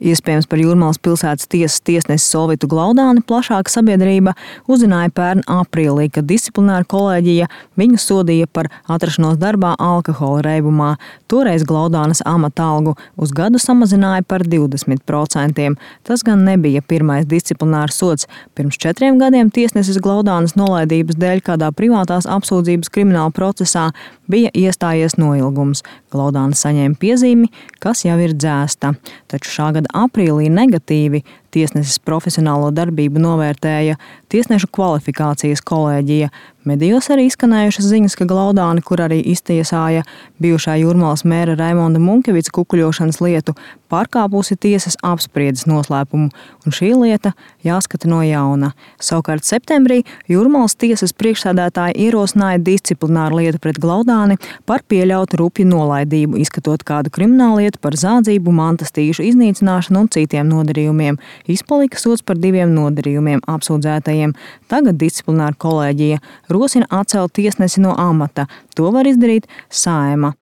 Iespējams par Jūrmalas pilsētas tiesas tiesnesi Solvitu Glaudāni plašāka sabiedrība uzzināja pērn aprīlī, kad disciplināra kolēģija viņu sodīja par atrašanos darbā alkohola reibumā. Toreiz Glaudānas amata algu uz gadu samazināja par 20%. Tas gan nebija pirmais disciplinārs sods. Pirms 4 gadiem tiesnesis Glaudānas nolaidības dēļ kādā privātās apsūdzības krimināla procesā bija iestājies noilgums. Glaudāna saņēma piezīmi, kas jau ir dzēsta. Taču šā gada aprīlī negatīvi tiesneses profesionālo darbību novērtēja tiesnešu kvalifikācijas kolēģija. Medijos arī izskanējušas ziņas, ka Glaudāni, kur arī iztiesāja bijušā Jūrmalas mēra Raimonda Munkevica kukuļošanas lietu, pārkāpusi tiesas apspriedes noslēpumu, un šī lieta jāskata no jauna. Savukārt septembrī Jūrmalas tiesas priekšsēdētāji ierosināja disciplināru lietu pret Glaudāni par pieļautu rupju nolaidību, izskatot kādu krimināllietu par zādzību, mantas tīšu iznīcināšanu un citiem nodarījumiem. Izpalika sods par 2 nodarījumiem apsūdzētajiem. Tagad disciplināra kolēģija rosina atcelt tiesnesi no amata. To var izdarīt Saeima.